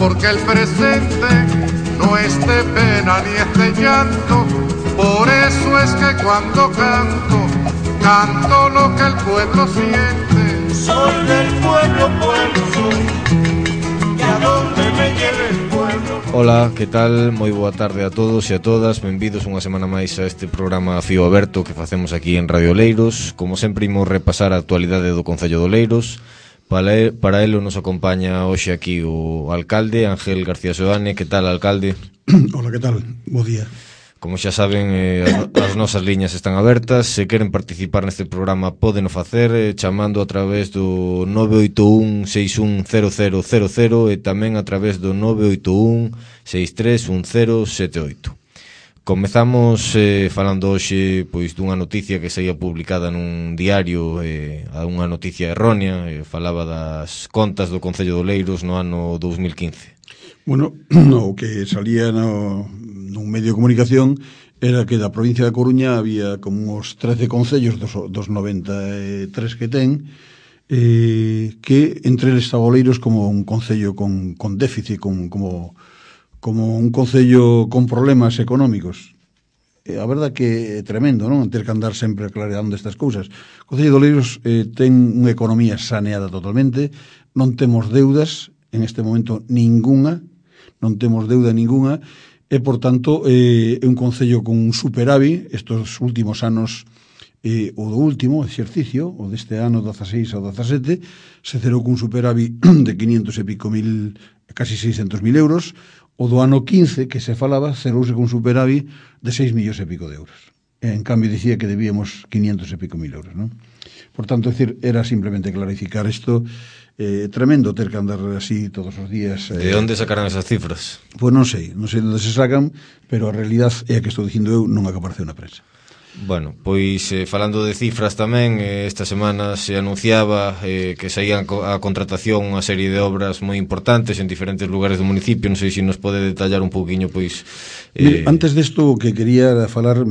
porque el presente no es de pena ni es de llanto. Por eso es que cuando canto, canto lo que el pueblo siente. Soy del pueblo, pueblo soy, y a donde me lleve el pueblo. Ola, que tal? Moi boa tarde a todos e a todas. Benvidos unha semana máis a este programa Fío Aberto que facemos aquí en Radio Oleiros. Como sempre, imos repasar a actualidade do Concello de Oleiros. Para elo nos acompaña hoxe aquí o alcalde Ángel García Seoane. Que tal, alcalde? Hola, que tal? Bo día. Como xa saben, as nosas liñas están abertas. Se queren participar neste programa pódeno facer chamando a través do 981 610000 e tamén a través do 981 631078. Comezamos falando hoxe pois dunha noticia que saía publicada nun diario, unha noticia errónea, falaba das contas do Concello de Oleiros no ano 2015. Bueno, o que salía nun medio de comunicación era que da provincia da Coruña había como uns 13 concellos dos 93 que ten, que entre eles estaba Oleiros como un concello con déficit, como un concello con problemas económicos. A verdad que é tremendo, non? Ter que andar sempre aclarando estas cousas. O Concello de Oleiros ten unha economía saneada totalmente, non temos deudas en este momento ningunha, non temos deuda ningunha, e, por tanto, é un concello con un superávit. Estos últimos anos, o do último exercicio, o deste ano 16 ao 17, se cerou cun superávit de 500 e pico mil, casi 600.000 euros. O do ano 15, que se falaba, cerouse con superávit de 6 millóns e pico de euros. En cambio, dicía que debíamos 500 e pico mil euros, non? Por tanto, decir, era simplemente clarificar isto. Tremendo ter que andar así todos os días. De onde sacarán esas cifras? Pois non sei de onde se sacan, pero a realidad é a que estou dicindo eu, non a que apareceu na prensa. Bueno, pois falando de cifras tamén, esta semana se anunciaba que saían a contratación unha serie de obras moi importantes en diferentes lugares do municipio. Non sei se nos pode detallar un pouquiño, pois... Antes desto, que quería falar,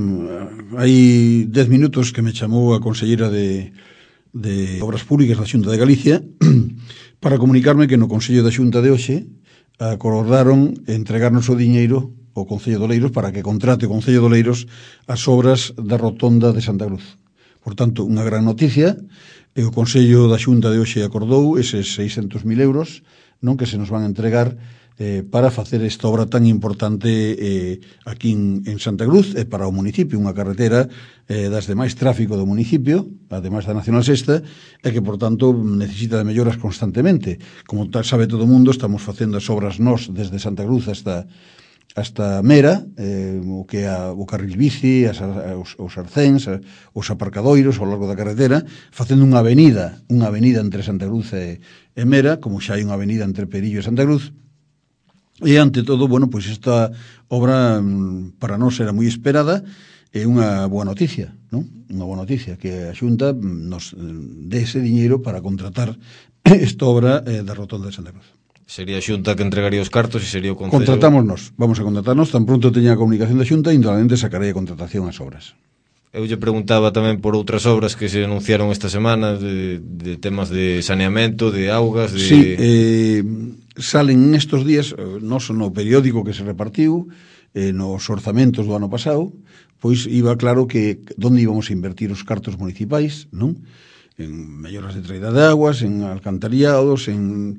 hai 10 minutos que me chamou a conselleira de Obras Públicas da Xunta de Galicia para comunicarme que no Consello da Xunta de hoxe acordaron entregarnos o diñeiro ao Concello de Oleiros para que contrate o Concello de Oleiros as obras da rotonda de Santa Cruz. Por tanto, unha gran noticia, e o Consello da Xunta de hoxe acordou eses 600.000 euros, non, que se nos van a entregar para facer esta obra tan importante aquí en Santa Cruz e para o municipio, unha carretera das de máis tráfico do municipio, ademais da Nacional Sexta, e que, por tanto, necesita de melloras constantemente. Como sabe todo o mundo, estamos facendo as obras nós desde Santa Cruz hasta Mera, o que é o carril bici, os arcéns, os aparcadoiros ao largo da carretera, facendo unha avenida entre Santa Cruz e Mera, como xa hai unha avenida entre Perillo e Santa Cruz. E, ante todo, bueno, pois esta obra para nós era moi esperada, é unha boa noticia, non? Unha boa noticia, que a Xunta nos dé ese diñeiro para contratar esta obra da rotonda de Santa Cruz. Sería a Xunta que entregaría os cartos e sería o Concello... Contratámonos, vamos a contratarnos, tan pronto teña a comunicación da Xunta, indudablemente sacarei a contratación ás obras. Eu lle preguntaba tamén por outras obras que se anunciaron esta semana, de temas de saneamento, de augas... Sí, salen nestos días, non no periódico que se repartiu, nos orzamentos do ano pasado, pois iba claro que onde íbamos a invertir os cartos municipais, non? En melloras de traída de aguas, en alcantariados, en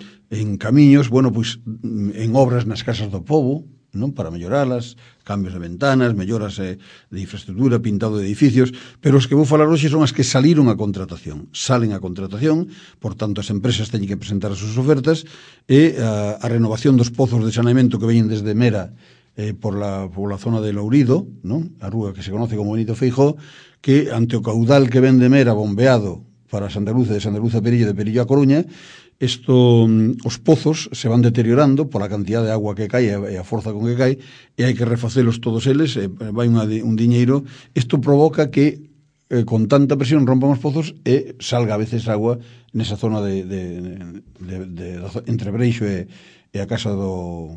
camiños, bueno, pois en obras nas casas do pobo, non, para melloralas, cambios de ventanas, melloras de infraestructura, pintado de edificios, pero os que vou falar hoxe son as que saliron a contratación. Salen a contratación, por tanto as empresas teñen que presentar as súas ofertas, e a renovación dos pozos de saneamento que veñen desde Mera por la zona de Lourido, non? A rúa que se conoce como Benito Feijóo, que ante o caudal que ven de Mera bombeado para Santa Cruz, de Santa Cruz a Perillo, de Perillo a Coruña, os pozos se van deteriorando pola cantidad de agua que cae e a forza con que cae, e hai que refacelos todos eles, vai un diñeiro. Isto provoca que con tanta presión rompan os pozos e salga a veces agua nesa zona de entre Breixo e e a casa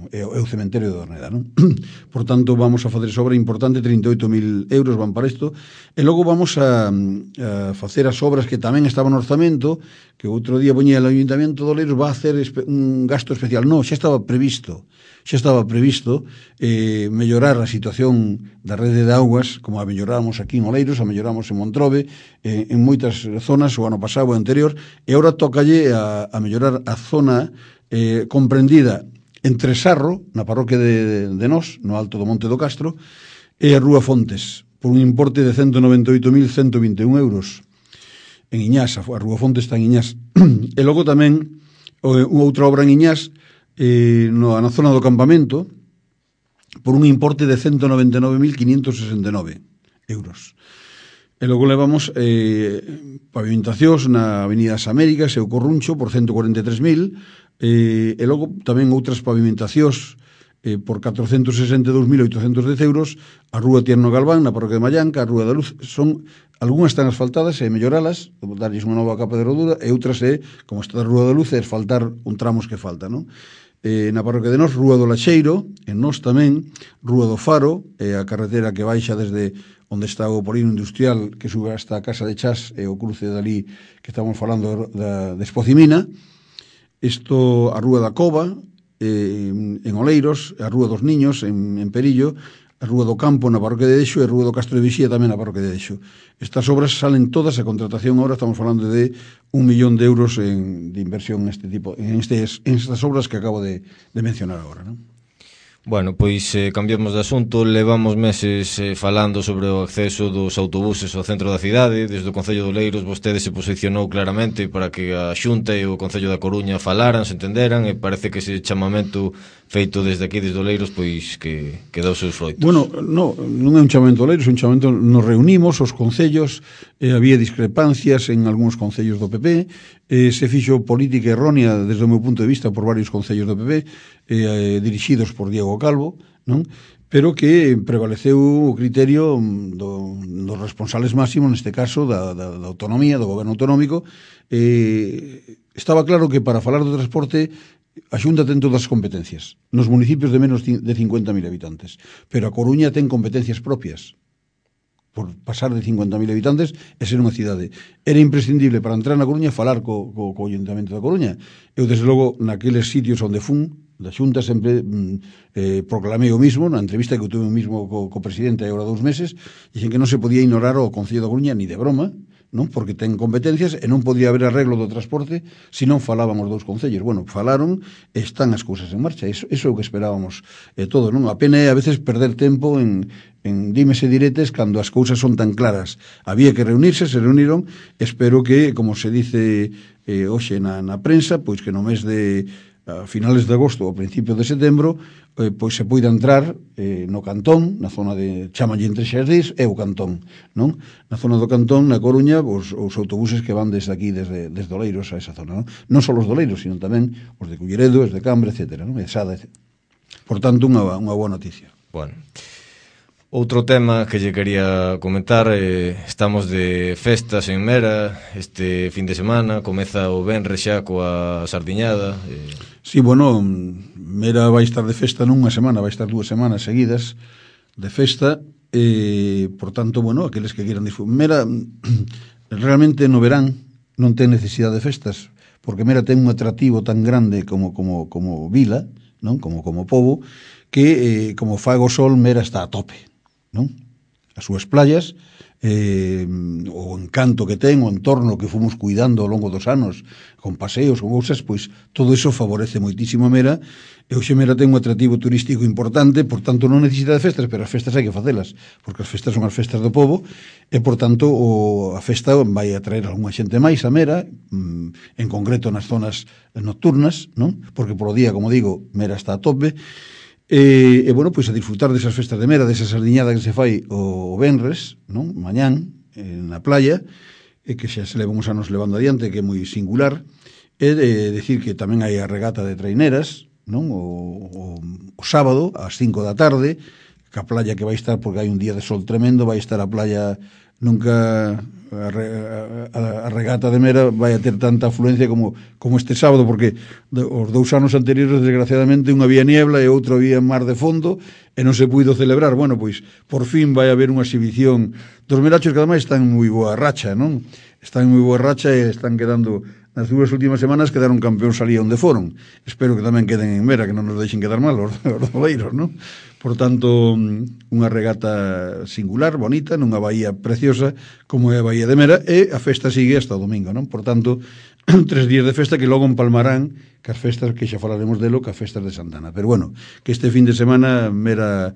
e o cementerio de Orneda, non? Por tanto, vamos a facer esa obra importante, 38.000 euros van para isto, e logo vamos a facer as obras que tamén estaban no orzamento, que outro día poñía o Ayuntamiento de Oleiros va a hacer un gasto especial. Non, xa estaba previsto mellorar a situación da rede de augas, como a melloramos aquí en Oleiros, a melloramos en Montrobe, en moitas zonas, o ano pasado o anterior, e agora tócalle a mellorar a zona comprendida entre Sarro, na parroquia de Nós, no alto do Monte do Castro, e a Rúa Fontes, por un importe de 198.121 euros. En Iñás, a Rúa Fontes está en Iñás. E logo tamén outra obra en Iñás, na zona do campamento, por un importe de 199.569 euros. E logo levamos pavimentacións na Avenida das Américas e o Corruncho por 143.000, e logo tamén outras pavimentacións por 462.810 euros, a Rúa Tierno Galván na parroquia de Mallanca, a Rúa da Luz, algunhas están asfaltadas e melloralas, darlles unha nova capa de rodura, e outras como está a Rúa da Luz, é asfaltar un tramos que falta, non? Na parroquia de Nós, Rúa do Lacheiro, en Nós tamén, Rúa do Faro, a carretera que baixa desde onde está o polígono industrial que sube hasta a Casa de Chas e o cruce dali que estamos falando de Espocimina, isto a Rúa da Cova en Oleiros, a Rúa dos Niños en Perillo, a Rúa do Campo na parroquia de Dexo e a Rúa do Castro de Vixía tamén na parroquia de Dexo. Estas obras salen todas a contratación, ahora estamos falando de 1 millón de euros de inversión en estas obras que acabo de mencionar agora, non? Bueno, pois cambiamos de asunto. Levamos meses falando sobre o acceso dos autobuses ao centro da cidade. Desde o Concello de Oleiros vostede se posicionou claramente para que a Xunta e o Concello da Coruña falaran, se entenderan, e parece que ese chamamento feito desde aquí, desde Oleiros, pois que dá os seus froitos. Bueno, non é un chamamento Oleiros, é un chamamento, nos reunimos os concellos, había discrepancias en algúns concellos do PP, se fixo política errónea desde o meu punto de vista por varios concellos do PP, dirixidos por Diego Calvo, non? Pero que prevaleceu o criterio dos responsables máximos, neste caso da autonomía, do goberno autonómico. Estaba claro que para falar do transporte a Xunta ten todas as competencias nos municipios de menos de 50.000 habitantes, pero a Coruña ten competencias propias por pasar de 50.000 habitantes e ser unha cidade. Era imprescindible para entrar na Coruña falar co Ayuntamento da Coruña. Eu, desde logo, naqueles sitios onde fun da Xunta sempre proclamei o mismo, na entrevista que eu tuve mismo co presidente hai agora 2 meses, dixen que non se podía ignorar o Concello da Coruña ni de broma, non? Porque ten competencias e non podía haber arreglo do transporte se non falaban os dous concellos. Bueno, falaron e están as cousas en marcha. Iso é o que esperábamos todos, non? A pena é a veces perder tempo en dimes e diretes cando as cousas son tan claras. Había que reunirse, se reuniron. Espero que, como se dice hoxe na prensa, pois que no mes de a finales de agosto ou principios de setembro, pois se poida entrar no Cantón, na zona de chamalle entre Xardís e o Cantón, non? Na zona do Cantón, na Coruña, os autobuses que van desde aquí, desde Oleiros a esa zona, non? Non só os de Oleiros, sino tamén os de Culleredo, os de Cambre, etc., non? E Sada, etc. Por tanto, unha boa noticia. Bueno, outro tema que lle quería comentar, estamos de festas en Mera este fin de semana, comeza o venres xa coa sardiñada. Sí, bueno, Mera vai estar de festa nunha semana, vai estar 2 semanas seguidas de festa, por tanto, bueno, aqueles que quieran disfrutar. Mera, realmente no verán non ten necesidade de festas, porque Mera ten un atractivo tan grande como vila, non? Como pobo, que como fago sol, Mera está a tope, non? As súas playas, o encanto que ten, o entorno que fomos cuidando ao longo dos anos, con paseos, con cousas, pois todo iso favorece moitísimo a Mera, e hoxe Mera ten un atractivo turístico importante, por tanto non necesita de festas, pero as festas hai que facelas, porque as festas son as festas do povo, e por tanto a festa vai atraer algunha xente máis a Mera, en concreto nas zonas nocturnas, non? Porque polo día, como digo, Mera está a tope. E bueno, pois a disfrutar desas festas de Mera, desa sardiñada que se fai o venres, non? Mañán, na playa, que xa se leva uns anos levando adiante, que é moi singular, e decir que tamén hai a regata de traineras, non? O sábado, ás 5 da tarde, que a playa que vai estar, porque hai un día de sol tremendo, vai estar a playa nunca a regata de Mera vai a ter tanta afluencia como este sábado, porque os 2 anos anteriores, desgraciadamente, unha había niebla e outro había mar de fondo e non se puido celebrar. Bueno, pois por fin vai haber unha exhibición dos merachos que ademais están en moi boa racha, non? Están en moi boa racha e están quedando, nas 2 últimas semanas quedaron campeóns ali onde foron. Espero que tamén queden en Mera, que non nos deixen quedar mal os doleiros, non? Por tanto, unha regata singular, bonita, nunha baía preciosa como é a Baía de Mera, e a festa sigue hasta o domingo, non? Por tanto, 3 días de festa que logo empalmarán que as festas, que xa falaremos delo, que as festas de Santana. Pero bueno, que este fin de semana Mera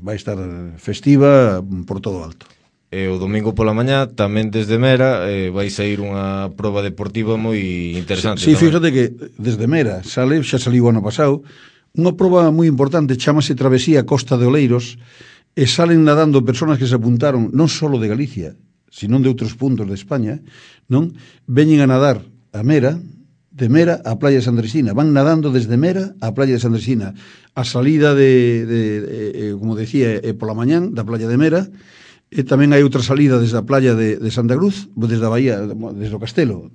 vai estar festiva por todo alto. E o domingo pola mañá tamén desde Mera vai sair unha proba deportiva moi interesante. Sí, fíjate que desde Mera sale, xa saliu o ano pasado, unha proba moi importante, chamase Travesía Costa de Oleiros, e salen nadando persoas que se apuntaron non só de Galicia, sino de outros puntos de España, non? Veñen a nadar a Mera, de Mera á Playa de Sandresina, van nadando desde Mera á Playa de Sandresina. A salida como decía, pola mañán da Playa de Mera, e tamén hai outra salida desde a Playa de Santa Cruz, desde a Bahía, desde o Castelo,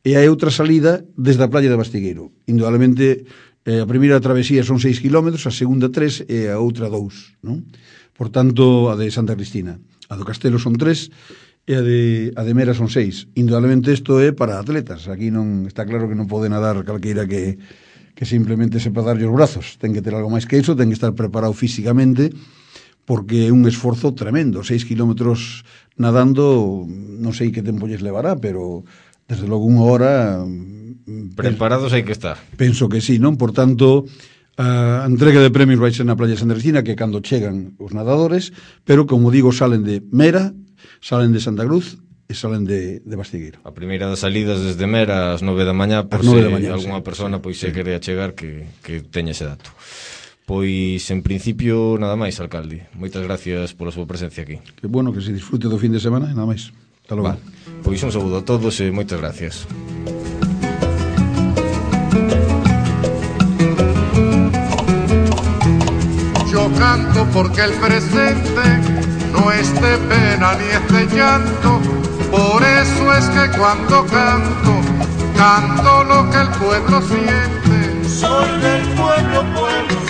e hai outra salida desde a Playa de Bastigueiro. Indudablemente, a primeira travesía son 6 kilómetros, a segunda 3 e a outra 2, non? Por tanto, a de Santa Cristina. A do Castelo son 3 e a de Mera son 6. Indudablemente isto é para atletas. Aquí non está claro que non pode nadar calqueira que simplemente sepa darlle os brazos. Ten que ter algo máis que iso, ten que estar preparado físicamente, porque é un esforzo tremendo. 6 kilómetros nadando, non sei que tempo lles levará, pero desde logo 1 hora... Preparados hai que estar. Penso que sí, non? Por tanto, a entrega de premios vai ser na Playa de Sandresina, que cando chegan os nadadores, pero, como digo, salen de Mera, salen de Santa Cruz e salen de Bastigueiro. A primeira das salidas desde Mera ás 9 da mañá, por se algunha persona pois se quere achegar que teña ese dato. Pois, en principio, nada máis, alcalde. Moitas gracias pola súa presencia aquí. Que bueno, que se disfrute do fin de semana e nada máis. Hasta logo. Vale. Pois un saúdo a todos e moitas gracias. Yo canto porque el presente no es de pena ni es de llanto. Por eso es que cuando canto, canto lo que el pueblo siente. Soy del pueblo, pueblo.